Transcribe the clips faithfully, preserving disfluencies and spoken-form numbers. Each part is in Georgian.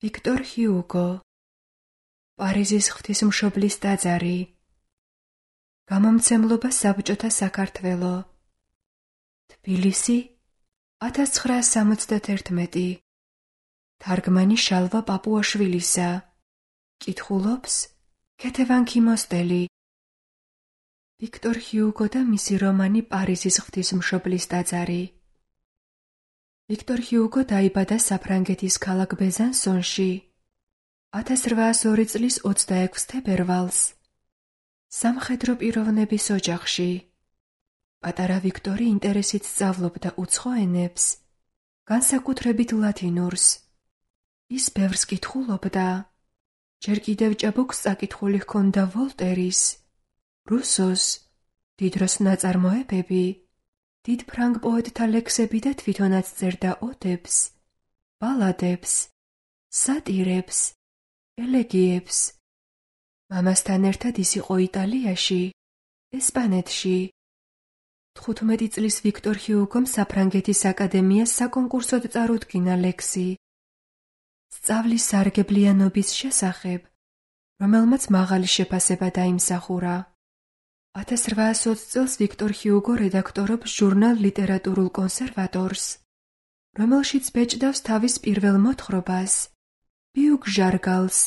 ვიქტორ ჰიუგო, პარიზის ღვთისმშობლის ტაძარი, გამომცემლობა საბჭოთა საქართველო, თბილისი, ათას ცხრაას სამოცდათერთმეტი, თარგმანი შალვა პაპუაშვილისა, კითხულობს ქეთევან ქიმოსტელი. ვიქტორ ჰიუგო და მისი რომანი პარიზის ღვთისმშობლის ტაძარი. ვიქტორ ჰიუგო დაიბადა საფრანგეთის ქალაქ ბეზანსონში ათას რვაას ორი წლის ოცდაექვს თებერვალს სამხედრო პიროვნების ოჯახში. პატარა ვიქტორი ინტერესით სწავლობდა უცხო ენებს, განსაკუთრებით ლათინურს. ის ბევრს კითხულობდა. ჯერ კიდევ ჭაბუკს წაკითხული ჰქონდა ვოლტერის, რუსოს, დიდროს ნაწარმოებები, დიდ ფრანგ პოეტთა ლექსები და თვითონაც წერდა ოდებს, ბალადებს, სატირებს, ელეგიებს. მამასთან ერთად ის იყო იტალიაში, ესპანეთში. თხუთმეტი წლის ვიქტორ ჰიუგომ საფრანგეთის აკადემიას საკონკურსოდ წარუდგინა ლექსი სწავლის სარგებლიანობის შესახებ, რომელმაც მაღალი შეფასება დაიმსახურა. ათას რვაას ოცი წელს ვიქტორ ჰიუგო რედაქტორობს ჟურნალ ლიტერატურულ კონსერვატორს, რომელშიც ბეჭდავს თავის პირველ მოთხრობას, ბიუგ ჟარგალს.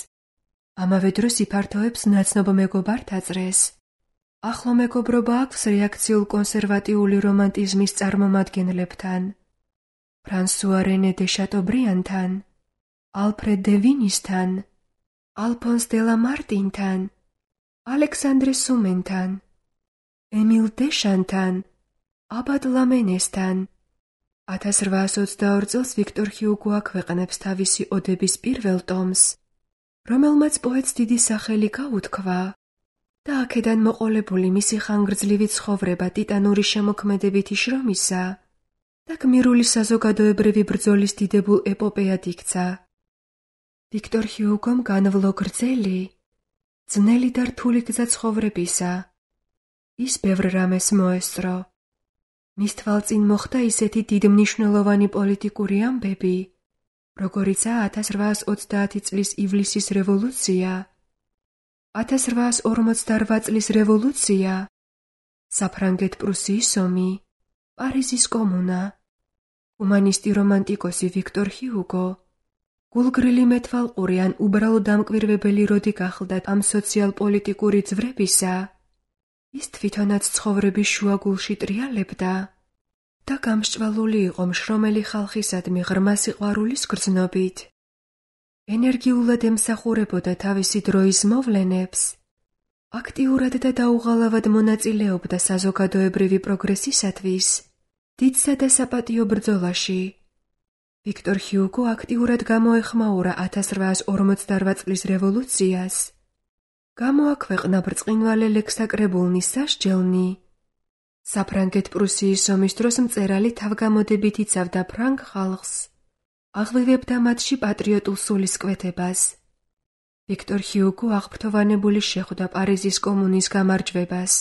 ამავე დროს იფართოებს ნაცნობ მეგობართა წრეს. ახლო მეგობრობა აქვს რეაქციულ კონსერვატიული რომანტიზმის წარმომადგენლებთან, ფრანსუა რენე დე შატობრიანთან, ალფრედ დე ვინისთან, ალფონს დე ლამარტინთან, ალექსანდრე სუმენთან, ემილ დეშანთან, აბად ლამენესთან. ათას რვაას ოცდაორ წელს ვიქტორ ჰიუგო აქვეყნებს თავისი ოდების პირველ ტომს, რომელმაც პოეტს დიდი სახელი გაუთქვა და აქედან მოყოლებული მისი ხანგრძლივი ცხოვრება ტიტანური შემოქმედებითი შრომისა და გმირული საზოგადოებრივი ბრძოლის დიდებულ ეპოპეად იქცა. ვიქტორ ჰიუგომ განვლო გრძელი, ძნელი და რთული გზა ცხოვრებისა. ის ბევრ რამეს მოესწრო. მის თვალწინ მოხდა ისეთი დიდმნიშვნელოვანი პოლიტიკური ამბები, როგორიცაა ათას რვაას ოცდაათი წლის ივლისის რევოლუცია, ათას რვაას ორმოცდარვა წლის რევოლუცია, საფრანგეთ-პრუსიის ომი, პარიზის კომუნა. ჰუმანისტი რომანტიკოსი ვიქტორ ჰიუგო გულგრილი მეთვალყური ან უბრალო დამკვირვებელი როდი გახლდა ამ სოციალ-პოლიტიკური ძვრებისა, ის თვითონაც ცხოვრების შუაგულში ტრიალებდა და გამსჭვალული იყო მშრომელი ხალხისადმი ღრმა სიყვარულის გრძნობით. ენერგიულად ემსახურებოდა თავისი დროის მოვლენებს, აქტიურად და დაუღალავად მონაწილეობდა საზოგადოებრივი პროგრესისათვის დიდსა და საპატიო ბრძოლაში. ვიქტორ ჰიუგო აქტიურად გამოეხმაურა ათას რვაას ორმოცდარვა წლის რევოლუციას. გამოაქვეყნა ბრწყინვალე ლექსაკრებულნი სასჯელნი. საფრანგეთ-პრუსიის ომის დროს მწერალი თავგამოდებით იცავდა ფრანგ ხალხს, აღვივებდა მათში პატრიოტულ სულისკვეთებას. ვიქტორ ჰიუგო აღფრთოვანებული შეხვდა პარიზის კომუნის გამარჯვებას.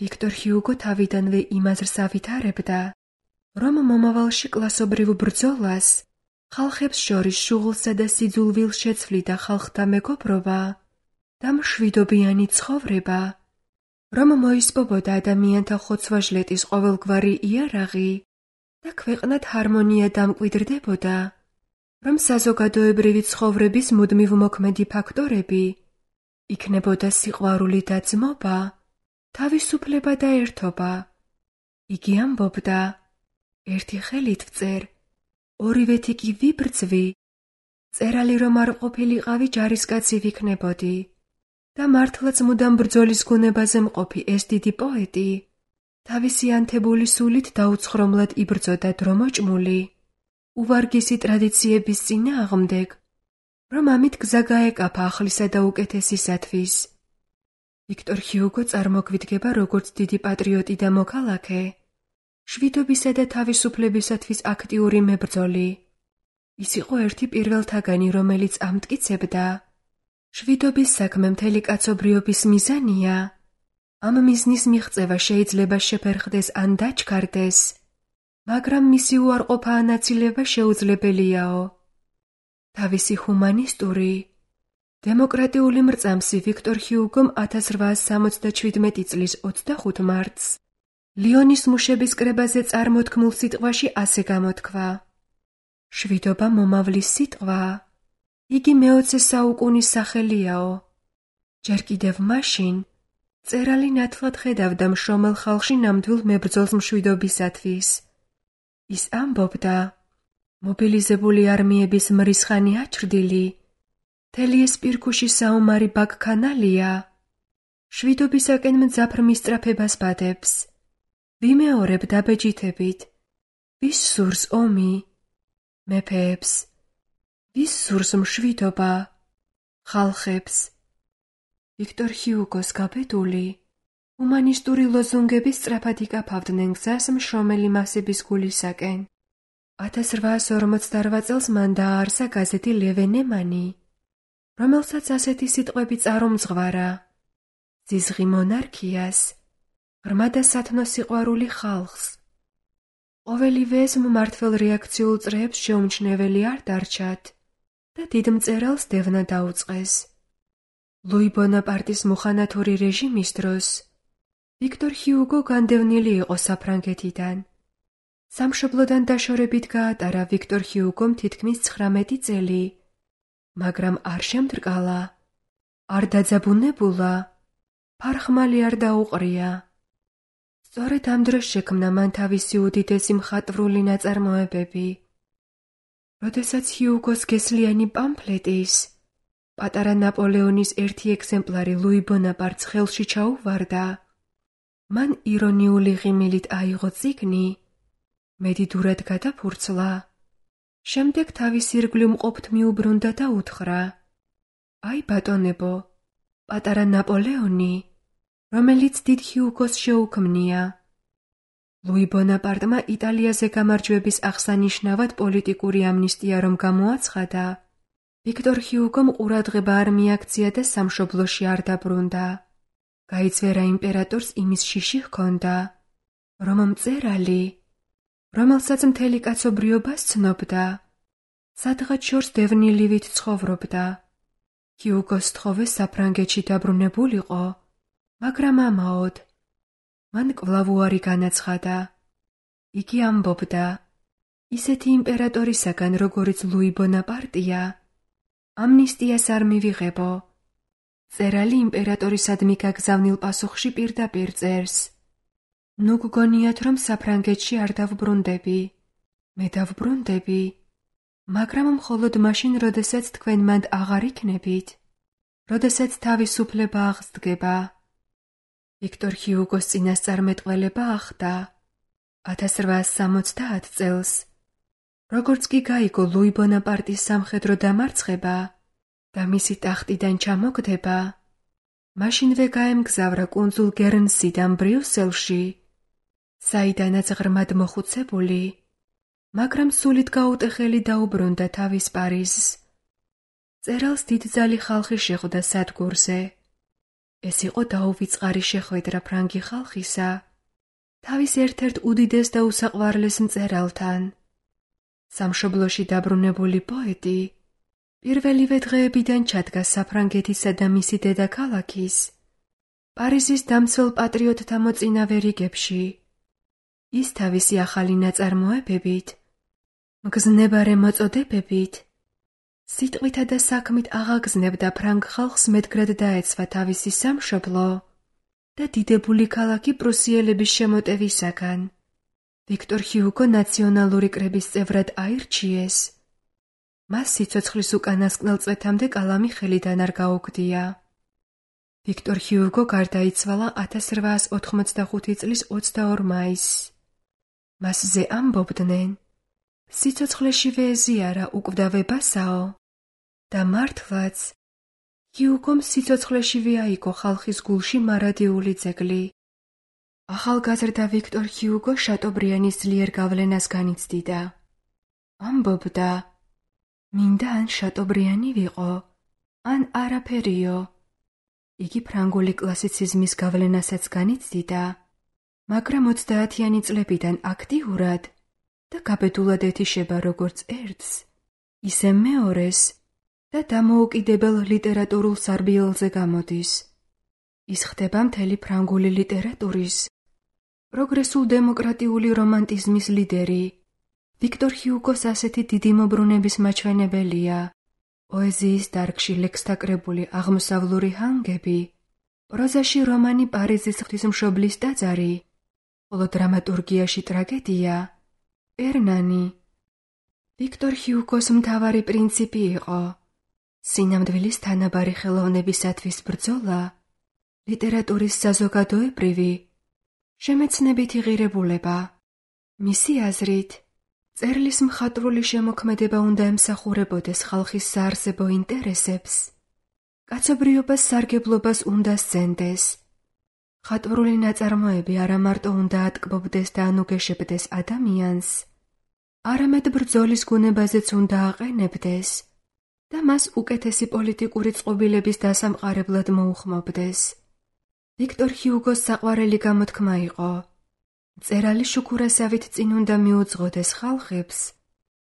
ვიქტორ ჰიუგო თავიდანვე იმ აზრს ავითარებდა, რომ მომავალში კლასობრივ ბრძოლას, ხალხებს შორის შუღლსა და სიძულვილს შეცვლიდა ხალხთა მეგობრობა და მშვიდობიანი ცხოვრება, რომ მოისპობოდა ადამიანთა ხოცვა-ჟლეტის ყოველგვარი იარაღი და ქვეყნად ჰარმონია დამკვიდრდებოდა, რომ საზოგადოებრივი ცხოვრების მუდმივ მოქმედი ფაქტორები იქნებოდა სიყვარული და ძმობა, თავისუფლება და ერთობა. იგი ამბობდა, ერთი ხელით ვწერ, ორივეთი კი ვიბრძვი, წერალი რომ არ ყოფილიყავი ჯარისკაცი ვიქნებოდი და მართლაც მუდამ ბრძოლის გუნებაზე მყოფი ეს დიდი პოეტი თავისი ანთებული სულით დაუცხრომლად იბრძოდა დრომოჭმული, უვარგისი ტრადიციების წინააღმდეგ, რომ ამით გზა გაეკაფა ახლისა და უკეთესისათვის. ვიქტორ ჰიუგო წარმოგვიდგება როგორც დიდი პატრიოტი და მოქალაქე, შვიდობისა და თავისუფლებისათვის აქტიური მებრძოლი. ის იყო ერთი პირველთაგანი, რომელიც ამტკიცებდა, შვიდობის საქმე მთელი კაცობრიობის მიზანია. ამ მიზნის მიღწევა შეიძლება შეფერხდეს ან დაჩქარდეს, მაგრამ მისი უარყოფა ანაწილება შეუძლებელიაო. თავისი ჰუმანისტური, დემოკრატიული მრწამსი ვიქტორ ჰიუგომ ათას რვაას სამოცდაჩვიდმეტი წლის ოცდახუთ მარტს ლიონის მუშების კრებაზე წარმოთქმულ სიტყვაში ასე გამოთქვა: შვიდობა მომავლის სიტყვაა, იგი მეოცე საუკუნის სახელიაო. ჯერ კიდევ მაშინ მწერალი ნათლად ხედავდა მშრომელ ხალხში ნამდვილ მებრძოლს მშვიდობისათვის. ის ამბობდა, მობილიზებული არმიების მრისხანი აჩრდილი, მთელი ეს პირქუში საომარი ბაქქანალია, შვიდობისაკენ მძაფრ მისწრაფებას ბადებს. ვიმეორებ დაბეჯითებით, ვის სურს ომი? მეფეებს. ვის სურს მშვიდობა? ხალხებს. ვიქტორ ჰიუგოს გაბედული, ჰუმანისტური ლოზუნგები სწრაფად იკაფავდნენ გზას მშრომელი მასების გულისაკენ. ათას რვაას ორმოცდარვა წელს მან დააარსა გაზეთი ლევე ნემანი, რომელსაც ასეთი სიტყვები წარუმძღვარა: ზიზღი მონარქიას, ღრმა და სათნო სიყვარული ხალხს. ყოველივე ეს მმართველ რეაქციულ წრეებს შეუმჩნეველი არ დარჩათ და დიდ მწერალს დევნა დაუწყეს. ლუი ბონაპარტის მუხანათური რეჟიმის დროს ვიქტორ ჰიუგო განდევნილი იყო საფრანგეთიდან. სამშობლოდან დაშორებით გაატარა ვიქტორ ჰიუგომ თითქმის ცხრამეტი წელი, მაგრამ არ შემდრკალა, არ დაძაბუნებულა, ფარხმალი არ დაუყრია. სწორედ ამ დროს შექმნა მან თავისი უდიდესი მხატვრული ნაწარმოებები. როდესაც ჰიუგოს გესლიანი პამფლეტის, პატარა ნაპოლეონის ერთი ეგზემპლარი ლუი ბონაპარტს ხელში ჩაუვარდა, მან ირონიული ღიმილით აიღო წიგნი, მედიდურად გადაფურცლა, შემდეგ თავის ირგვლივ მყოფთ მიუბრუნდა და უთხრა: აი ბატონებო, პატარა ნაპოლეონი, რომელიც დიდ ჰიუგოს შეუქმნია. ლუი ბონაპარტმა იტალიაზე გამარჯვების აღსანიშნავად პოლიტიკური ამნისტია რომ გამოაცხადა, ვიქტორ ჰიუგომ ყურადღება არ მიაქცია და სამშობლოში არ დაბრუნდა. გაიწვერა იმპერატორს იმის შიში ჰქონდა, რომ მწერალი, რომელსაც მთელი კაცობრიობა სცნობდა, სადღაც შორს დევნილივით ცხოვრობდა. ჰიუგოს თხოვე საფრანგეთში დაბრუნებულიყო, მაგრამ ამაოდ. მან კვლავ უარი განაცხადა. იგი ამბობდა, ისეთი იმპერატორისაგან, როგორიც ლუი ბონაპარტია, ამნისტიას არ მივიღებო. მწერალი იმპერატორისადმი გაგზავნილ პასუხში პირდაპირ წერს: ნუ გგონიათ, რომ საფრანგეთში არ დავბრუნდები. მე დავბრუნდები, მაგრამ მხოლოდ მაშინ, როდესაც თქვენ მანდ აღარ იქნებით, როდესაც თავისუფლება აღსდგება. ვიქტორ ჰიუგოს წინასწარმეტყველება ახდა ათას რვაას სამოცდაათ წელს, როგორც კი გაიგო ლუი ბონაპარტის სამხედრო დამარცხება და მისი ტახტიდან ჩამოგდება, მაშინვე გაემგზავრა კუნძულ გერნსიდან ბრიუსელში, საიდანაც ღრმად მოხუცებული, მაგრამ სულით გაუტეხელი დაუბრუნდა თავის პარიზს. მწერალს დიდძალი ხალხი შეხვდა სადგურზე. ეს იყო დაუვიწყარი შეხვედრა ფრანგი ხალხისა, თავის ერთ-ერთ უდიდეს და უსაყვარლეს მწერალთან. სამშობლოში დაბრუნებული პოეტი პირველივე დღეებიდან ჩადგა საფრანგეთისა და მისი დედაქალაქის, პარიზის დამცველ პატრიოტთა მოწინავე რიგებში. ის თავისი ახალი ნაწარმოებებით, მგზნებარე მოწოდებებით, სიტყვითა და საქმით აღაგზნებდა ფრანგ ხალხს მედგრად დაეცვა თავისი სამშობლო და დიდებული ქალაქი პრუსიელების შემოტევისაგან. ვიქტორ ჰიუგო ნაციონალური კრების წევრად აირჩიეს. მას სიცოცხლის უკანასკნელ წლეთამდე კალამი ხელიდან არ გაუგდია. ვიქტორ ჰიუგო გარდაიცვალა ათას რვაას ოთხმოცდახუთი წლის ოცდაორ მაისს. მასზე ამბობდნენ, სიცოცხლეშივე ეზიარა უკვდავებასაო და მართლაც ჰიუგომ სიცოცხლეშივე აიგო ხალხის გულში მარადიული ძეგლი. ახალგაზრდა ვიქტორ ჰიუგო შატობრიანის ძლიერ გავლენას განიცდიდა. ამბობდა, მინდა ან შატობრიანი ვიყო, ან არაფერიო. იგი ფრანგული კლასიციზმის გავლენასაც განიცდიდა, მაგრამ ოცდაათიანი წლებიდან აქტიურად და გაბედულად ეთიშება როგორც ერთს, ისე მეორეს და დამოუკიდებელ ლიტერატურულ სარბიელზე გამოდის. ის ხდება მთელი ფრანგული ლიტერატურის პროგრესულ დემოკრატიული რომანტიზმის ლიდერი. ვიქტორ ჰიუგოს ასეთი დიდი მობრუნების მაჩვენებელია პოეზიის დარგში ლექსთა კრებული აღმოსავლური ჰანგები, პროზაში რომანი პარიზის ღვთისმშობლის ტაძარი, ხოლო დრამატურგიაში ტრაგედია პერნანი. ვიქტორ ჰიუგოს მთავარი პრინციპი იყო სინამდვილის თანაბარი ხელოვნებისათვის ბრძოლა, ლიტერატურის საზოგადოებრივი, შემეცნებითი ღირებულება. მისი აზრით, წერლის მხატვრული შემოქმედება უნდა ემსახურებოდეს ხალხის საარსებო ინტერესებს, კაცობრიობას სარგებლობას უნდა სცენდეს. მხატვრული ნაწარმოები არა მარტო უნდა ატკბობდეს და ანუგეშებდეს ადამიანს, არამედ ბრძოლის გუნებაზეც უნდა აყენებდეს და მას უკეთესი პოლიტიკური წყობილების დასამყარებლად მოუხმობდეს. ვიქტორ ჰიუგოს საყვარელი გამოთქმა იყო მწერალი შუქურასავით წინ უნდა მიუძღოდეს ხალხებს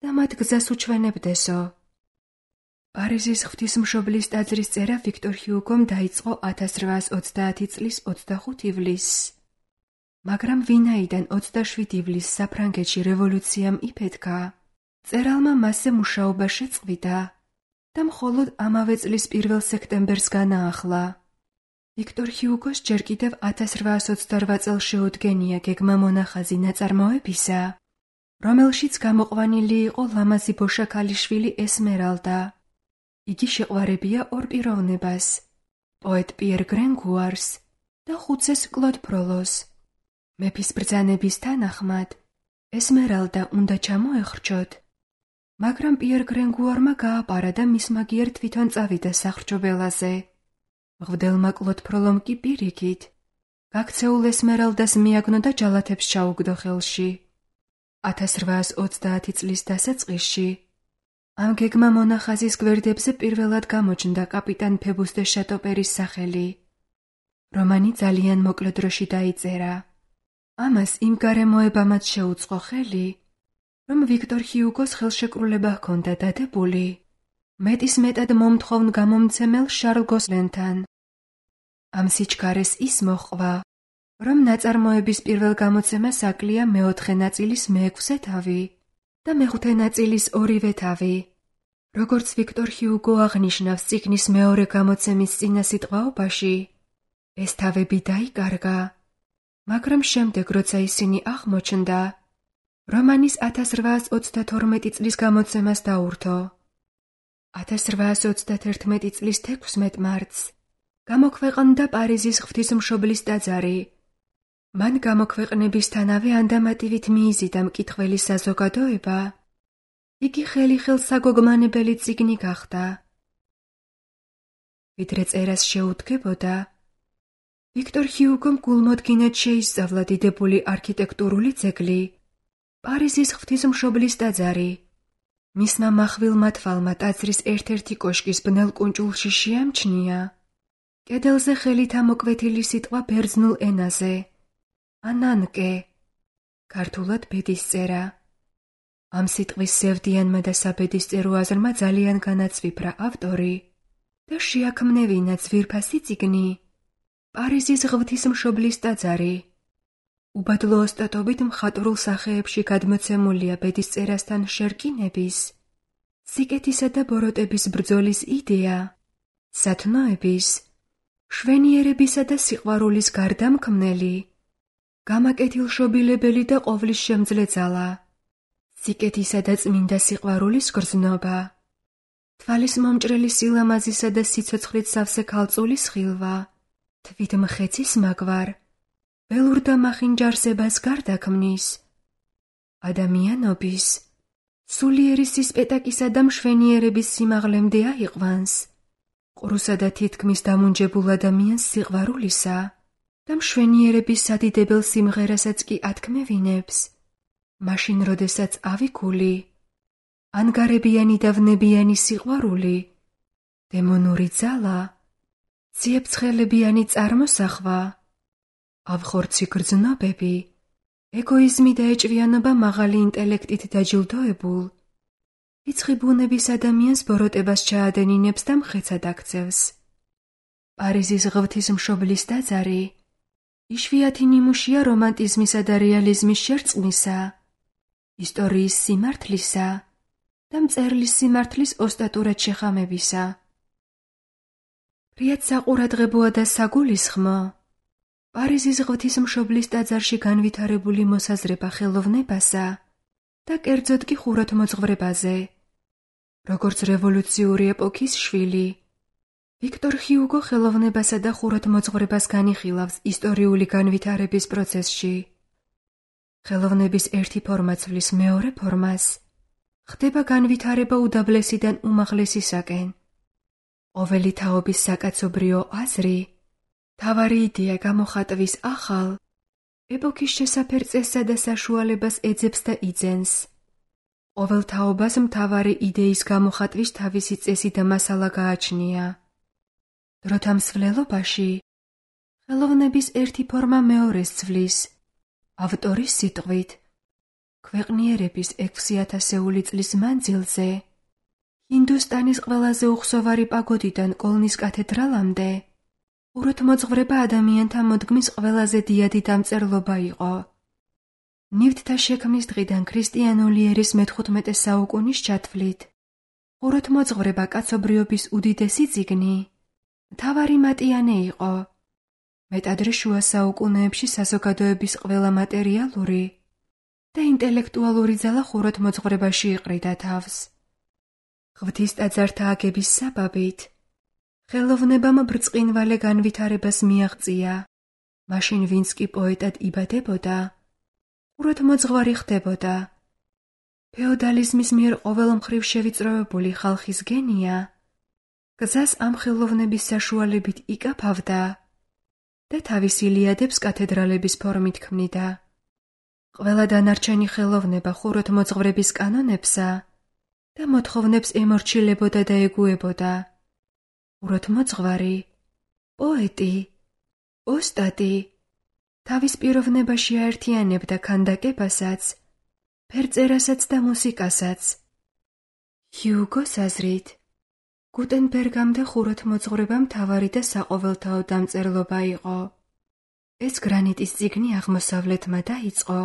და მათ გზას უჩვენებდესო. პარიზის ღვთისმშობლის ტაძრის წერა ვიქტორ ჰიუგომ დაიწყო ათას რვაას ოცდაათი წლის ოცდახუთ ივლისს, მაგრამ ვინაიდან ოცდაშვიდ ივლისს საფრანგეთში რევოლუციამ იფეთქა, მწერალმა მასზე მუშაობა შეწყვიტა და მხოლოდ ამავე წლის პირველ სექტემბერს განაახლა. ვიქტორ ჰიუგოს ჯერ კიდევ ათას რვაას ოცდარვა წელს შეუდგენია გეგმა მონახაზი ნაწარმოებისა, რომელშიც გამოყვანილი იყო ლამაზი ბოშა ქალიშვილი ესმერალდა. იგი შეყვარებია ორ პიროვნებას, პოეტ პიერ გრენგუარს და ხუცეს კლოდ ფროლოს. მეფის ბრძანების თანახმად ესმერალდა უნდა ჩამოეხრჩოთ, მაგრამ პიერ გრენგუარმა გააპარა და მის მაგიერ თვითონ წავიდა სახრჩობელაზე. მღვდელმა კლოდ ფროლომ კი პირიქით გაქცეულ ესმერალდას მიაგნო და ჯალათებს ჩაუგდო ხელში. ათას რვაას ოცდაათი წლის დასაწყისში ამ გეგმა მონახაზის გვერდებზე პირველად გამოჩნდა კაპიტან ფებუს დე შატოპერის სახელი. რომანი ძალიან მოკლე დროში დაიწერა. ამას იმ გარემოებამაც შეუწყო ხელი, რომ ვიქტორ ჰიუგოს ხელშეკრულება ჰქონდა დადებული მეტის მეტად მომთხოვნ გამომცემელ შარლ გოსლენთან. ამ სიჩქარეს ის მოჰყვა, რომ ნაწარმოების პირველ გამოცემას აკლია მეოთხე ნაწილის მეექვსე თავი და მეხუთე ნაწილის ორივე თავი. როგორც ვიქტორ ჰიუგო აღნიშნავს წიგნის მეორე გამოცემის წინასიტყვაობაში, ეს თავები დაიკარგა, მაგრამ შემდეგ, როცა ისინი აღმოჩნდა, რომანის ათას რვაას ოცდათორმეტი წლის გამოცემას დაურთო. ათას რვაას ოცდათერთმეტი წლის თექვსმეტ მარტს გამოქვეყნდა პარიზის ღვთისმშობლის ტაძარი. მან გამოქვეყნებისთანავე ანდამატივით მიიზიდა მკითხველი საზოგადოება. იგი ხელი-ხელს საგოგმანებელი წიგნი გახდა. ვიდრე წერას შეუდგებოდა, ვიქტორ ჰიუგომ გულმოდგინედ შეისწავლა დიდებული არქიტექტურული ძეგლი, პარიზის ღვთისმშობლის ტაძარი. მისმა მახვილმა თვალმა ტაძრის ერთ-ერთი კოშკის ბნელ კუნჭულში შეამჩნია კედელზე ხელით ამოკვეთილი სიტყვა ბერძნულ ენაზე ანანკე, ქართულად ბედისწერა. ამ სიტყვის სევდიანმა და საბედისწერო აზრმა ძალიან განაცვიფრა ავტორი და შეაქმნევინა ძვირფასი წიგნი პარიზის ღვთისმშობლის ტაძარი. უბადლო ოსტატობით მხატვრულ სახეებში გადმოცემულია ბედისწერასთან შერკინების, სიკეთისა და ბოროტების ბრძოლის იდეა, სათნოების, შვენიერებისა და სიყვარულის გარდამქმნელი, გამაკეთილშობილებელი და ყოვლის შემძლე ძალა, სიკეთისა და წმინდა სიყვარულის გრძნობა, თვალის მომჭრელი სილამაზისა და სიცოცხლით სავსე ქალწულის ხილვა, თვით მხეცის მაგვარ, ველურ და მახინჯარსებას გარდაქმნის, ადამიანობის, სულიერი სისპეტაკისა და მშვენიერების სიმაღლემდე აიყვანს, ყრუსა და თითქმის დამუნჯებულ ადამიანს სიყვარულისა და მშვენიერების სადიდებელ სიმღერასაც კი ათქმევინებს, მაშინ როდესაც ავიქული, ანგარებიანი და ვნებიანი სიყვარული, დემონური ძალა, ციებცხელებიანი წარმოსახვა, ავხორცი გრძნობები, ეგოიზმი და ეჭვიანობა მაღალი ინტელექტით დაჯილდოებულ, რიცხი ბუნების ადამიანს ბოროტებას ჩაადენინებს და მხეცად აქცევს. პარიზის ღვთისმშობლის ტაძარი იშვიათი ნიმუშია რომანტიზმისა და რეალიზმის შერწყმისა, ისტორიის სიმართლისა და მწერლის სიმართლის ოსტატურად შეხამებისა. რიად საყურადღებოა და საგულისხმო, პარიზის ღვთისმშობლის ტაძარში განვითარებული მოსაზრება ხელოვნებასა და კერძოდ კი ხუროთმოძღვრებაზე, როგორც რევოლუციური ეპოქის შვილი, ვიქტორ ჰიუგო ხელოვნებასა და ხუროთმოძღვრებას განიხილავს ისტორიული განვითარების პროცესში. ხელოვნების ერთი ფორმა ცვლის მეორე ფორმას, ხდება განვითარება უდაბლესიდან უმაღლესისაკენ. ყოველი თაობის საკაცობრიო აზრი, მთავარი იდეა გამოხატვის ახალ, ეპოქის შესაფერ წესსა და საშუალებას ეძებს და იძენს. ყოველ თაობას მთავარი იდეის გამოხატვის თავისი წესი და მასალა გააჩნია. დროთა მსვლელობაში ხელოვნების ერთი ფორმა მეორეს ცვლის, ავტორის სიტყვით, ქვეყნიერების ექვსი ათასეული წლის მანძილზე, ჰინდუსტანის ყველაზე უხსოვარი პაგოდიდან კოლნის კათედრალამდე, ხუროთმოძღვრება ადამიანთა მოდგმის ყველაზე დიადი დამწერლობა იყო. ნივთთა შექმნის დღიდან ქრისტიანული ერის მეთხუთმეტე საუკუნის ჩათვლით, ხუროთმოძღვრება კაცობრიობის უდიდესი წიგნი, მთავარი მატიანე იყო. მეტადრე შუა საუკუნეებში საზოგადოების ყველა მატერიალური და ინტელექტუალური ძალა ხუროთმოძღვრებაში იყრიდა თავს. ღვთის ტაძართა აგების საბაბით ხელოვნებამ ბრწყინვალე განვითარებას მიაღწია. მაშინ ვინც კი პოეტად იბადებოდა, ხუროთმოძღვარი ხდებოდა. ფეოდალიზმის მიერ ყოველმხრივ შევიწროებული ხალხის გენია გზას ამ ხელოვნების საშუალებით იკაფავდა და თავის ილიადებს კათედრალების ფორმით ქმნიდა. ყველა დანარჩენი ხელოვნება ხუროთმოძღვრების კანონებსა და მოთხოვნებს ემორჩილებოდა და ეგუებოდა. ხუროთმოძღვარი, პოეტი, ოსტატი თავის პიროვნებაში აერთიანებდა ქანდაკებასაც, ფერწერასაც და მუსიკასაც. ჰიუგოს აზრით, გუტენბერგამდე ხუროთმოძღვრება მთავარი და საყოველთაო დამწერლობა იყო. ეს გრანიტის წიგნი აღმოსავლეთმა დაიწყო,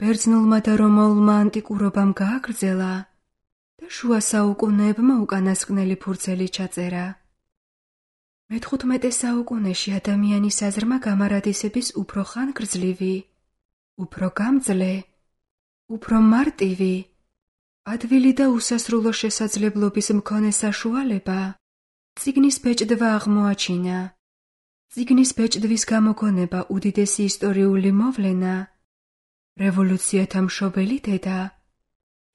ბერძნულმა და რომაულმა ანტიკურობამ გააგრძელა და შუა საუკუნეებმა უკანასკნელი ფურცელი ჩაწერა. მეთხუთმეტე საუკუნეში ადამიანის აზრმა გამარადისების უფრო ხანგრძლივი, უფრო გამძლე, უფრო მარტივი, ადვილი და უსასრულო შესაძლებლობის მქონე საშუალება წიგნის ბეჭდვა აღმოაჩინა. წიგნის ბეჭდვის გამოგონება უდიდესი ისტორიული მოვლენა, რევოლუციათა მშობელი დედა,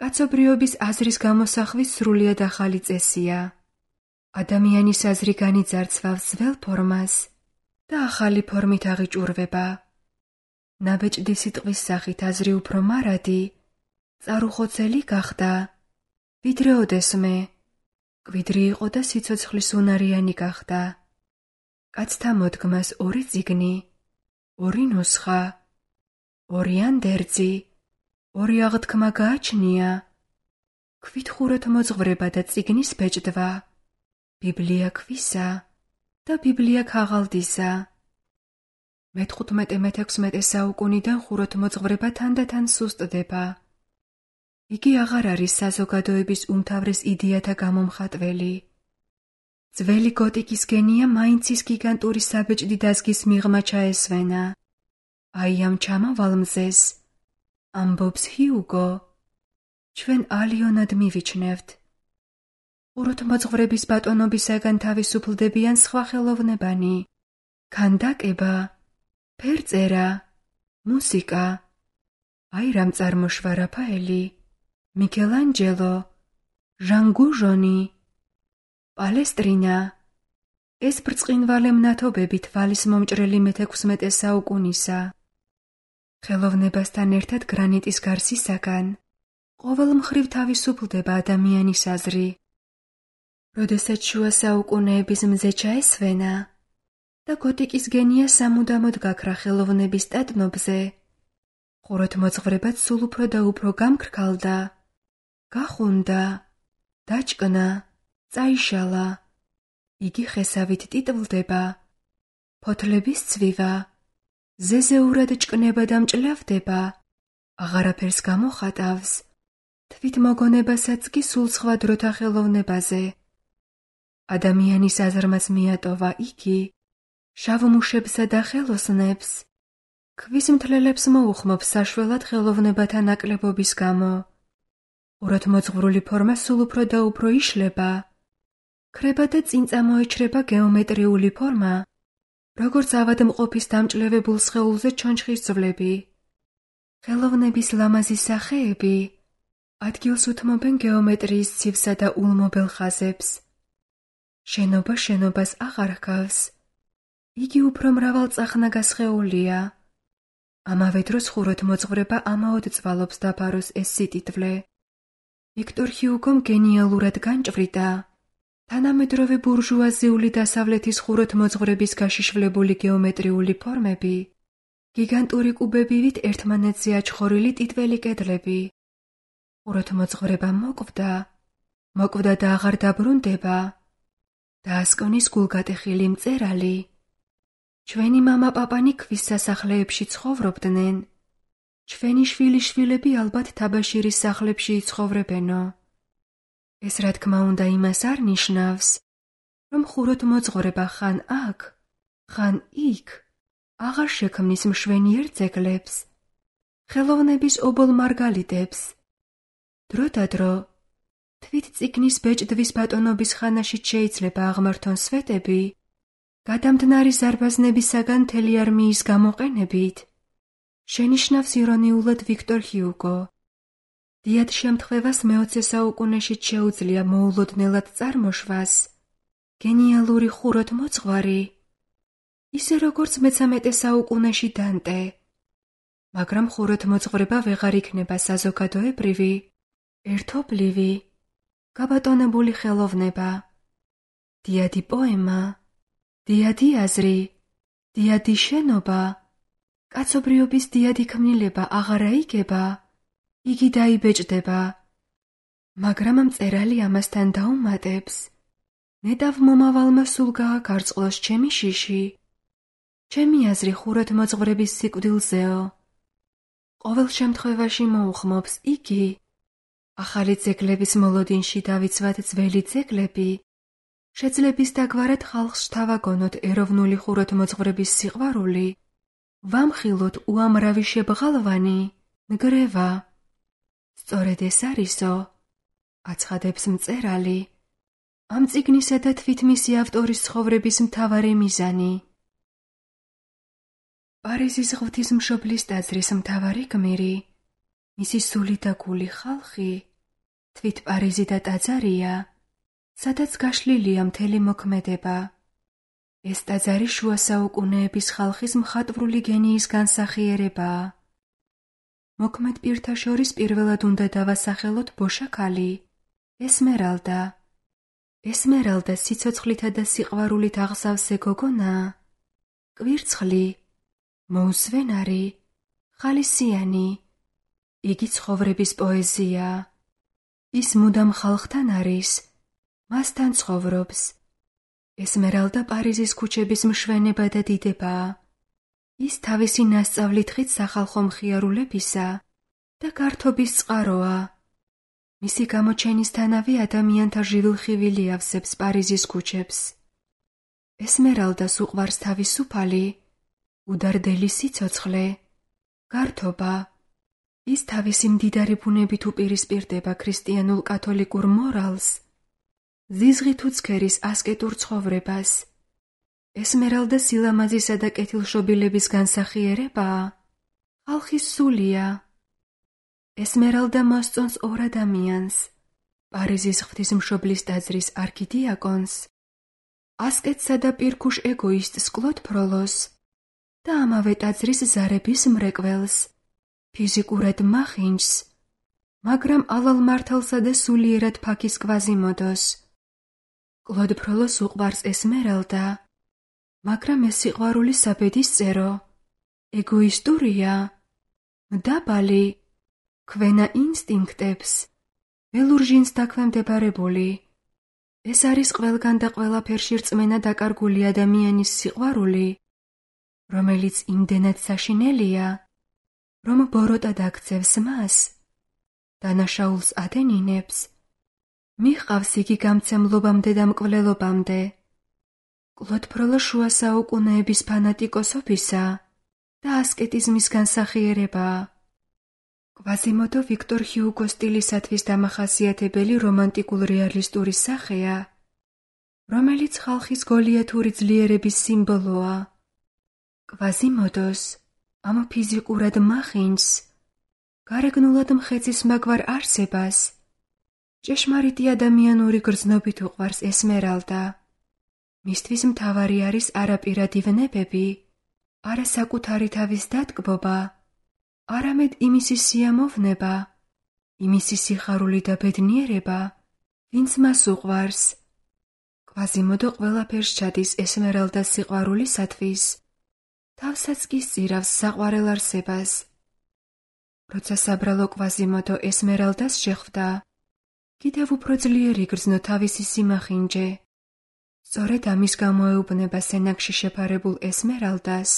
კაცობრიობის აზრის გამოსახვის სრულიად ახალი წესია. ადამიანის აზრი განიძარცვავს ძველ ფორმას და ახალი ფორმით აღიჭურვება. ნაბეჭდი სიტყვის სახით აზრი უფრო მარადი, წარუხოცელი გახდა, ვიდრე ოდესმე, კვიდრი იყო და სიცოცხლის უნარიანი გახდა. კაცთა მოდგმას ორი წიგნი, ორი ნუსხა, ორი ანდერძი, ორი აღთქმა გააჩნია, ქვით ხუროთმოძღვრება და წიგნის ბეჭდვა, ბიბლია ქვისა და ბიბლია ქაღალდისა. მეთხუთმეტე მეთექვსმეტე საუკუნიდან ხუროთმოძღვრება თანდათან სუსტდება. იგი აღარ არის საზოგადოების უმთავრეს იდეათა გამომხატველი. ძველი გოტიკის გენია მაინც ის გიგანტური საბეჭდი დაზგის მიღმა ჩაესვენა. აი ამ ჩამავალ მზეს, ამბობს ჰიუგო, ჩვენ ალიონად მივიჩნევთ. ხუროთმოძღვრების ბატონობისაგან თავისუფლდებიან სხვა ხელოვნებანი, ქანდაკება, ფერწერა, მუსიკა. აი რამ წარმოშვა რაფაელი, მიქელანჯელო, ჟან გუჟონი, პალესტრინა. ეს ბრწყინვალე მნათობები თვალის მომჭრელი მეთექვსმეტე საუკუნისა. ხელოვნებასთან ერთად გრანიტის გარსისაგან ყოველ მხრივ თავისუფლდება ადამიანის აზრი. როდესაც შუა საუკუნეების მზე ჩაესვენა და გოტიკის გენია სამუდამოდ გაქრა ხელოვნების სტატნობზე, ხუროთმოძღვრებაც სულ უფრო და უფრო გამქრქალდა, გახუნდა, დაჭკნა, წაიშალა. იგი ხესავით ტიტვლდება, ფოთლების ცვივა, ზეზეურად ჭკნება და მჭლავდება, აღარაფერს გამოხატავს, თვით მოგონებასაც კი სულ სხვა დროთა ხელოვნებაზე. ადამიანის აზრმაც მიატოვა იგი, შავმუშებსა და ხელოსნებს, ქვის მთლელებს მოუხმობს საშველად ხელოვნებათა ნაკლებობის გამო. ყურადმოძღვრული ფორმა სულ უფრო და უფრო იშლება, ქრება და წინ წამოეჩრება გეომეტრიული ფორმა, როგორც ავადმყოფის დამჭლევებულ სხეულზე ჩონჩხის ძვლები. ხელოვნების ლამაზი სახეები ადგილს უთმობენ გეომეტრიის ცივსა და ულმობელ ხაზებს. შენობა შენობას აღარ ჰგავს. იგი უფრო მრავალწახნაგა სხეულია. ამავე დროს ხუროთმოძღვრება ამაოდ წვალობს დაფაროს ეს სიტიტვლე. ვიქტორ ჰიუგომ გენიალურად განჭვრიტა თანამედროვე ბურჟუაზიული დასავლეთის ხუროთმოძღვრების გაშიშვლებული გეომეტრიული ფორმები, გიგანტური კუბებივით ერთმანეთზე აჩხორილი ტიტველი კედლები. ხუროთმოძღვრება მოკვდა, მოკვდა და აღარ დაბრუნდება. დაასკონის გულგატეხილი მწერალი. ჩვენი მამა-პაპანი ქვის სასახლეებში ცხოვრობდნენ. ჩვენი შვილიშვილები ალბათ თაბაშირის სახლებში იცხოვრებენო. ეს რა თქმა უნდა იმას არ ნიშნავს, რომ ხუროთმოძღვრება ხან აქ, ხან იქ აღარ შექმნის მშვენიერ ძეგლებს, ხელოვნების ობოლ მარგალიტებს. დროდადრო, თვით წიგნის ბეჭდვის ბატონობის ხანაშიც შეიძლება აღმართონ სვეტები, გადამდნარი ზარბაზნებისაგან მთელი არმიის გამოყენებით, შენიშნავს ირონიულად ვიქტორ ჰიუგო. დიად შემთხვევას მეოცე საუკუნეშიც შეუძლია მოულოდნელად წარმოშვას გენიალური ხუროთმოძღვარი, ისე როგორც მეცამეტე საუკუნეში დანტე, მაგრამ ხუროთმოძღვრება ვეღარ იქნება საზოგადოებრივი, ერთობლივი, გაბატონებული ხელოვნება. დიადი პოემა, დიადი აზრი, დიადი შენობა, კაცობრიობის დიადი ქმნილება აღარა იგება, იგი დაიბეჭდება. მაგრამ მწერალი ამასთან დაუმატებს, ნეტავ მომავალმა სულ გააკარწყლოს ჩემი შიში, ჩემი აზრი ხუროთმოძღვრების სიკვდილზეო. ყოველ შემთხვევაში მოუხმობს იგი, ახალი ძეგლების მოლოდინში დავიცვათ ძველი ძეგლები, შეძლების დაგვარად ხალხს შთავაგონოთ ეროვნული ხუროთმოძღვრების სიყვარული, ვამხილოთ უამრავი შებღალვანი, ნგრევა. სწორედ ეს არისო, აცხადებს მწერალი, ამ წიგნისა და თვით მისი ავტორის ცხოვრების მთავარი მიზანი. პარიზის ღვთისმშობლის ტაძრის მთავარი გმირი, მისი სული და გული ხალხი, თვით პარიზი და ტაძარია, სადაც გაშლილია მთელი მოქმედება. ეს ტაძარი შუა საუკუნეების ხალხის მხატვრული გენიის განსახიერებაა. მოქმედ პირთა შორის პირველად უნდა დავასახელოთ ბოშაქალი, ესმერალდა. ესმერალდა სიცოცხლითა და სიყვარულით აღსავსე გოგონაა, კვირცხლი, მოუსვენარი, ხალისიანი. იგი ცხოვრების პოეზიაა. ის მუდამ ხალხთან არის, მასთან ცხოვრობს. ესმერალდა პარიზის ქუჩების მშვენება და დიდებაა. ის თავისი ნასწავლით ხით სახალხო მხიარულებისა და გართობის წყაროა. მისი გამოჩენისთანავე ადამიანთა ჟივილხივილი ავსებს პარიზის ქუჩებს. ესმერალდას უყვარს თავისუფალი, უდარდელი სიცოცხლე, გართობა. ის თავისი მდიდარი ბუნებით უპირისპირდება ქრისტიანულ კათოლიკურ მორალს, ზიზღით უცქერის ასკეტურ ცხოვრებას. ესმერალდა სილამაზისა და კეთილშობილების განსახიერებაა, ხალხის სულია. ესმერალდა მოსწონს ორ ადამიანს, პარიზის ღვთისმშობლის ტაძრის არქიდიაკონს, ასკეტსა და პირქუშ ეგოისტს კლოდ ფროლოს და ამავე ტაძრის ზარების მრეკველს, ფიზიკურად მახინჯს, მაგრამ ალალ მართალსა და სულიერად ფაქის კვაზიმოდოს. კლოდ ფროლოს უყვარს ესმერალდა, მაგრამ ეს სიყვარული საბედისწერო, ეგოისტურია, მდაბალი, ქვენა ინსტინქტებს ველურჟინს დაქვემდებარებული. ეს არის ყველგან და ყველაფერში რწმენა დაკარგული ადამიანის სიყვარული, რომელიც იმდენად საშინელია, რომ ბოროტად აქცევს მას, დანაშაულს ადენინებს, მიჰყავს იგი გამცემლობამდე და მკვლელობამდე. კლოდ ფროლო შუა საუკუნეების ფანატიკოსობისა და ასკეტიზმის განსახიერებაა. კვაზიმოდო ვიქტორ ჰიუგოს სტილისათვის დამახასიათებელი რომანტიკულ რეალისტური სახეა, რომელიც ხალხის გოლიათური ძლიერების სიმბოლოა. კვაზიმოდოს ამ ფიზიკურად მახინჯს, გარეგნულად მხეცის მაგვარ არსებას, ჭეშმარიტი ადამიანური გრძნობით უყვარს ესმერალდა. მისთვის მთავარი არის არაპირადი ვნებები, არა საკუთარი თავის დატკბობა, არამედ იმისი სიამოვნება, იმისი სიხარული და ბედნიერება, ვინც მას უყვარს. კვაზიმოდო ყველაფერს ჩადის ესმერალდას სიყვარულისათვის, თავსაც კი სწირავს საყვარელ არსებას. როცა საბრალო კვაზიმოდო ესმერალდას შეხვდა, კიდევ უფრო ძლიერი გრძნო თავისი სიმახინჯე. სწორედ ამის გამო ეუბნება სენაკში შეფარებულ ესმერალდას: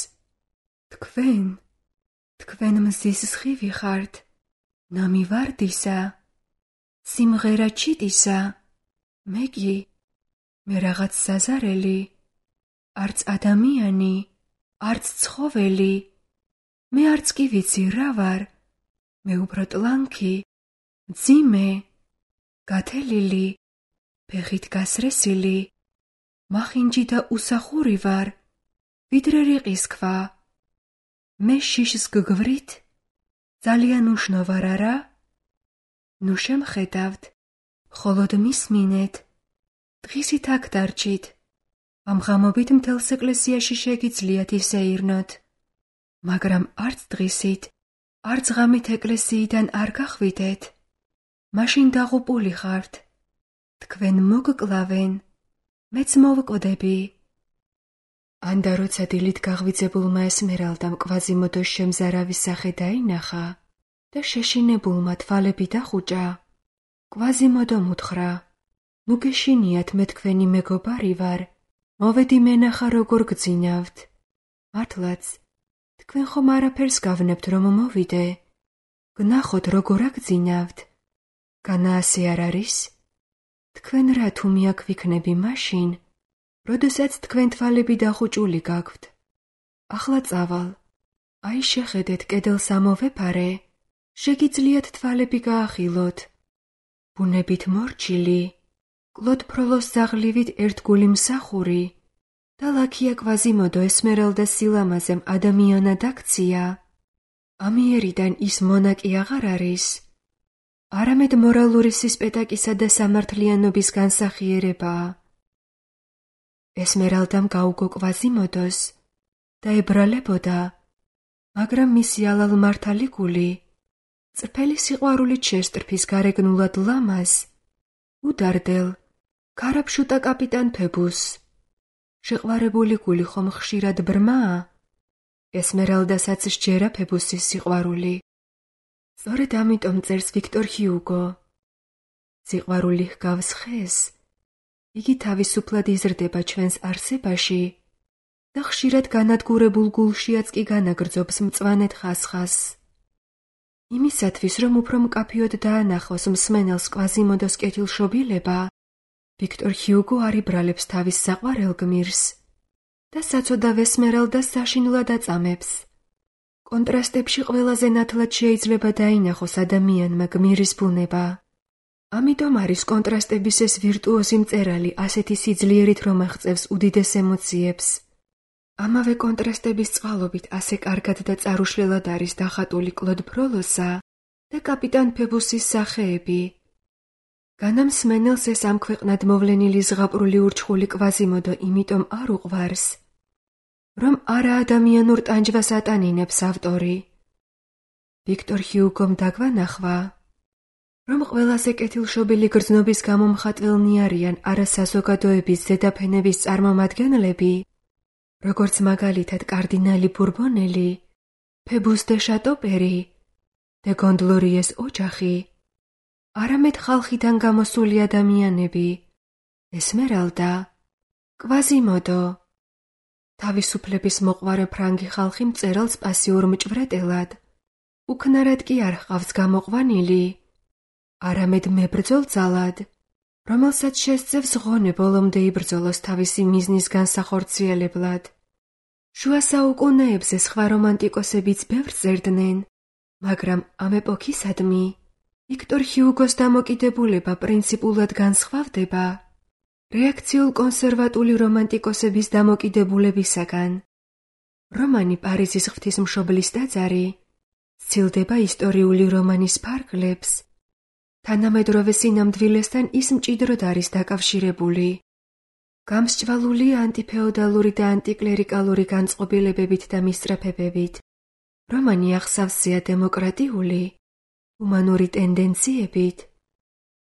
თქვენ, თქვენ მზის სხივი ხართ, ნამი ვარდისა, სიმღერა ჩიტისა, მე კი, მე რაღაც საზარელი, არც ადამიანი, არც ცხოველი, მე არც კი ვიცი რა ვარ, მე უფრო ტლანქი, მძიმე, გათელილი, ფეხით გასრესილი, მახინჯი და უსახური ვარ, ვიდრე რიყის ქვა. მე შიშს გგვრით? ძალიან უშნო ვარ, არა? ნუ შემხედავთ, მხოლოდ მისმინეთ, დღისით აქ დარჩით, ამ ღამობით მთელს ეკლესიაში შეგიძლიათ ისეირნოთ, მაგრამ არც დღისით, არც ღამით ეკლესიიდან არ გახვიდეთ, მაშინ დაღუპული ხართ, თქვენ მოგკლავენ, მეც მოვკვდები. ანდა როცა დილით გაღვიძებულმა ესმერალდამ კვაზიმოდოს შემზარავი სახე დაინახა და შეშინებულმა თვალები დახუჭა, კვაზიმოდომ უთხრა: ნუ გეშინიათ, მე თქვენი მეგობარი ვარ, მოვედი მენახა როგორ გძინავთ. მართლაც, თქვენ ხომ არაფერს გავნებთ რომ მოვიდე, გნახოთ როგორ აგძინავთ. განა ასე არ არის? თქვენ რა თუ მიაქვიქნები მაშინ, როდესაც თქვენ თვალები დახუჭული გაქვთ. ახლა წავალ, აი შეხედეთ კედელს ამოვეფარე, შეგიძლიათ თვალები გაახილოთ. ბუნებით მორჩილი, კლოდ ფროლოს ზაღლივით ერთგული მსახური და ლაქია კვაზიმოდო ესმერალდას სილამაზემ ადამიანად აქცია. ამიერიდან ის მონაკი აღარ არის, არამედ მორალური სისპეტაკისა და სამართლიანობის განსახიერებაა. ესმერალდამ გაუგო კვაზიმოდოს და ებრალებოდა, მაგრამ მისი ალალ-მართალი გული, წრფელი სიყვარულით შესტრფის გარეგნულად ლამაზ, უდარდელ, ქარაფშუტა კაპიტან ფებუსს. შეყვარებული გული ხომ ხშირად ბრმაა? ესმერალდასაც სჯერა ფებუსის სიყვარული. სწორედ ამიტომ წერს ვიქტორ ჰიუგო: სიყვარული ჰგავს ხეს, იგი თავისუფლად იზრდება ჩვენს არსებაში და ხშირად განადგურებულ გულშიაც კი განაგრძობს მწვანედ ხასხასს. იმისათვის, რომ უფრო მკაფიოდ დაანახოს მსმენელს კვაზიმოდოს კეთილშობილება, ვიქტორ ჰიუგო არ იბრალებს თავის საყვარელ გმირს და საცოდავ ესმერალდას საშინლად აწამებს. კონტრასტებში ყველაზე ნათლად შეიძლება დაინახოს ადამიანმა გმირის ბუნება. ამიტომ არის კონტრასტების ეს ვირტუოზი მწერალი ასეთი სიძლიერით რომ აღწევს უდიდეს ემოციებს. ამავე კონტრასტების წყალობით ასე კარგად და წარუშლელად არის დახატული კლოდ ფროლოსა და კაპიტან ფებუსის სახეები. განა მსმენელს ეს ამ ქვეყნად მოვლენილი ზღაპრული ურჩხული კვაზიმოდო იმიტომ არ უყვარს, რომ არაადამიანურ ტანჯვას ატანინებს ავტორი. ვიქტორ ჰიუგომ დაგვანახვა, რომ ყველაზე კეთილშობილი გრძნობის გამო მხატველნი არიან არა საზოგადოების ზედაფენების წარმომადგენლები, როგორც მაგალითად კარდინალი ბურბონელი, ფებუს დე შატოპერი, დე გონდლორიეს ოჯახი, არამედ ხალხიდან გამოსული ადამიანები, ესმერალდა, კვაზიმოდო. თავისუფლების მოყვარე ფრანგი ხალხი მწერალს პასიურ მჭვრეტელად, უქნარად კი არ ჰყავს გამოყვანილი, არამედ მებრძოლ ძალად, რომელსაც შესწევს ღონე ბოლომდე იბრძოლოს თავისი მიზნის განსახორციელებლად. შუა საუკუნეებზე სხვა რომანტიკოსებიც ბევრს წერდნენ, მაგრამ ამ ეპოქისადმი ვიქტორ ჰიუგოს დამოკიდებულება პრინციპულად განსხვავდება რეაქციულ კონსერვატული რომანტიკოსების დამოკიდებულებისაგან. რომანი პარიზის ღვთისმშობლის ტაძარი სცილდება ისტორიული რომანის ფარგლებს, თანამედროვე სინამდვილესთან ის მჭიდროდ არის დაკავშირებული. გამსჭვალულია ანტიფეოდალური და ანტიკლერიკალური განწყობილებებით და მისწრაფებებით. რომანი ახსავსეა დემოკრატიული, ჰუმანური ტენდენციებით.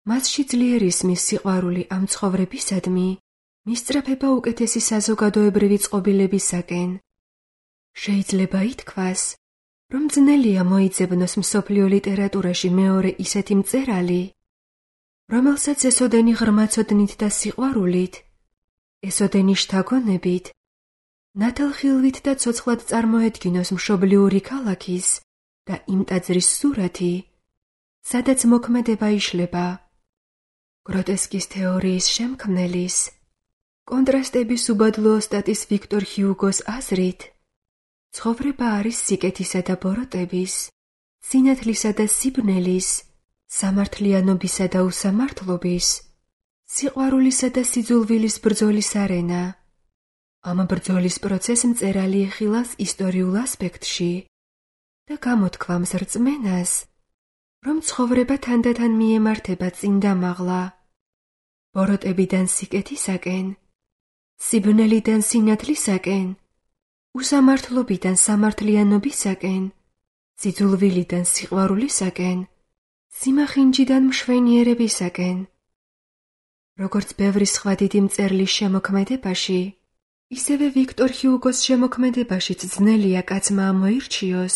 მასში ძლიერ ისმის სიყვარული ამ ცხოვრებისადმი, მისწრაფება უკეთესი საზოგადოებრივი წყობილებისაკენ. შეიძლება ითქვას, რომ ძნელია მოიძებნოს მსოფლიო ლიტერატურაში მეორე ისეთი მწერალი, რომელსაც ესოდენი ღრმაცოდნით და სიყვარულით, ესოდენი შთაგონებით, ნათელხილვით და ცოცხლად წარმოედგინოს მშობლიური ქალაქის და იმ ტაძრის სურათი, სადაც მოქმედება იშლება. გროტესკის თეორიის შემქმნელის, კონტრასტების უბადლო ოსტატის ვიქტორ ჰიუგოს აზრით, ცხოვრება არის სიკეთისა და ბოროტების, სინათლისა და სიბნელის, სამართლიანობისა და უსამართლობის, სიყვარულისა და სიძულვილის ბრძოლის არენა. ამ ბრძოლის პროცესს მწერალი ეხილავს ისტორიულ ასპექტში და გამოთქვამს რწმენას, რომ ცხოვრება თანდათან მიემართება წინ და მაღლა, ბოროტებიდან სიკეთისაკენ, სიბნელიდან სინათლისაკენ, უსამართლობიდან სამართლიანობისაკენ, სიძულვილიდან სიყვარულისაკენ, სიმახინჯიდან მშვენიერებისაკენ. როგორც ბევრი სხვა დიდი მწერლის შემოქმედებაში, ისევე ვიქტორ ჰიუგოს შემოქმედებაშიც ძნელია კაცმა ამოირჩიოს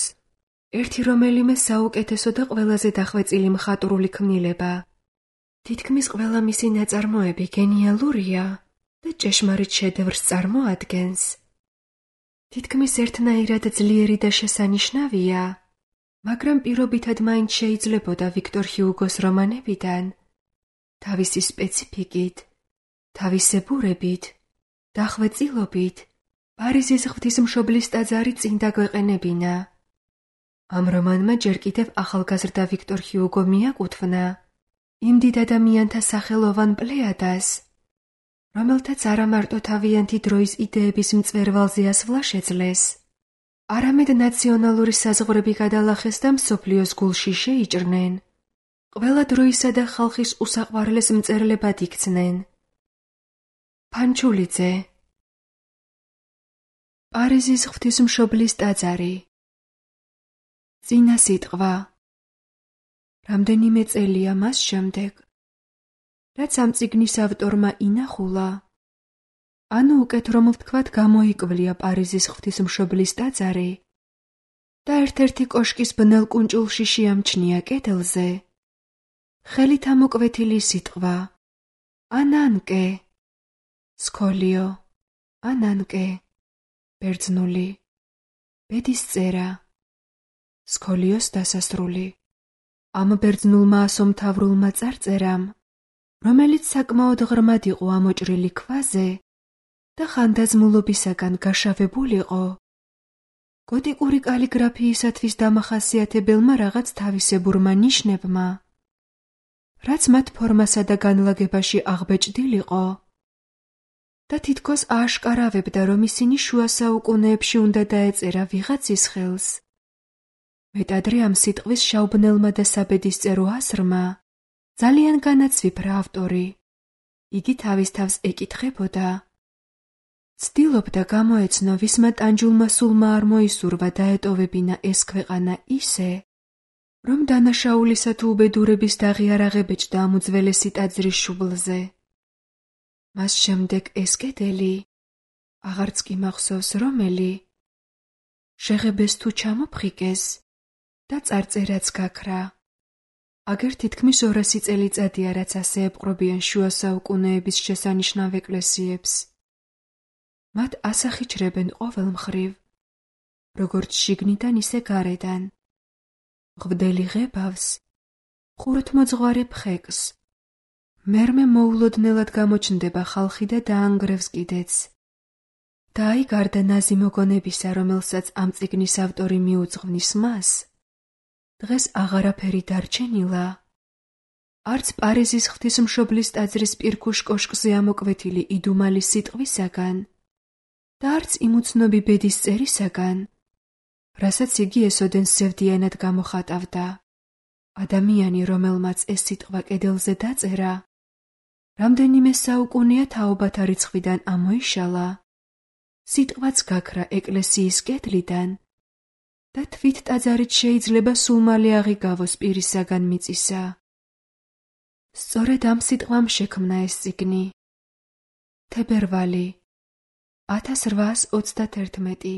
ერთი რომელიმე საუკეთესო და ყველაზე დახვეწილი მხატვრული ქმნილება. თითქმის ყველა მისი ნაწარმოები გენიალურია და ჭეშმარიტ შედევრს წარმოადგენს. თითქმის ერთნაირად ძლიერი და შესანიშნავია, მაგრამ პირობითად მაინც შეიძლებოდა ვიქტორ ჰიუგოს რომანებიდან თავისი სპეციფიკით, თავისებურებით, დახვეწილობით პარიზის ღვთისმშობლის ტაძარი წინ დაგვეყენებინა. ამ რომანმა ჯერ კიდევ ახალგაზრდა ვიქტორ ჰიუგო მიაკუთვნა იმ დიდ ადამიანთა სახელოვან პლეადას, რომელთაც არა მარტო თავიანთი დროის იდეების მწვერვალზე ასვლა შეძლეს, არამედ ნაციონალური საზღვრები გადალახეს და მსოფლიოს გულში შეიჭრნენ, ყველა დროისა და ხალხის უსაყვარლეს მწერლებად იქცნენ. ფანჩულიძე. პარიზის ღვთისმშობლის ტაძარი. წინა სიტყვა. რამდენიმე წელია მას შემდეგ, რაც ამ წიგნის ავტორმა ინახულა, ანუ უკეთ რომ ვთქვათ გამოიკვლია პარიზის ღვთისმშობლის ტაძარი და ერთ-ერთი კოშკის ბნელ კუნჭულში შეამჩნია კედელზე ხელით ამოკვეთილი სიტყვა ანანკე, სკოლიო, ანანკე, ბერძნული, ბედის წერა, სკოლიოს დასასრული. ამ ბერძნულმა ასომთავრულმა წარწერამ, რომელიც საკმაოდ ღრმად იყო ამოჭრილი ქვაზე და ხანდაზმულობისაგან გაშავებულიყო, გოტიკური კალიგრაფიისათვის დამახასიათებელმა რაღაც თავისებურმა ნიშნებმა, რაც მათ ფორმასა და განლაგებაში აღბეჭდილიყო და თითქოს ააშკარავებდა, რომ ისინი შუა საუკუნეებში უნდა დაეწერა ვიღაცის ხელს. მეტადრე ამ სიტყვის შავბნელმა და საბედისწერო ასრმა ძალიან განაცვიფრა ავტორი. იგი თავის თავს ეკითხებოდა. ცდილობდა გამოეცნო, ვისმა ტანჯულმა სულმა არ მოისურვა დაეტოვებინა ეს ქვეყანა ისე, რომ დანაშაულისა თუ უბედურების დაღი არ აღებეჭდა ამ უძველესი ტაძრის შუბლზე. მას შემდეგ ეს კედელი, აღარც კი მახსოვს რომელი, შეღებეს თუ ჩამოფხიკეს და წარწერაც გაქრა. აგერ თითქმის ორასი წელიწადია, რაც ასე ეპყრობიან შუა საუკუნეების შესანიშნავ ეკლესიებს. მათ ასახიჩრებენ ყოველ მხრივ, როგორც შიგნიდან, ისე გარედან. ღვდელი ღებავს, ხუროთმოძღვარი ფხეკს. მერმე მოულოდნელად გამოჩნდება ხალხი და დაანგრევს კიდეც. და აი გარდა ნაზი მოგონებისა, რომელსაც ამ წიგნის ავტორი მიუძღვნის მას, დღეს აღარაფერი დარჩენილა. არც პარიზის ღვთისმშობლის ტაძრის პირქუშ კოშკზე ამოკვეთილი იდუმალი სიტყვისაგან და არც იმ უცნობი ბედის წერისაგან, რასაც იგი ესოდენ სევდიანად გამოხატავდა. ადამიანი, რომელმაც ეს სიტყვა კედელზე დაწერა, რამდენიმე საუკუნეა თაობათა რიცხვიდან ამოიშალა, სიტყვაც გაქრა ეკლესიის კედლიდან და თვით ტაძარით შეიძლება სულ მალე აღიგავოს პირისაგან მიწისა. სწორედ ამ სიტყვამ შექმნა ეს წიგნი. თებერვალი ათას რვაას ოცდათერთმეტი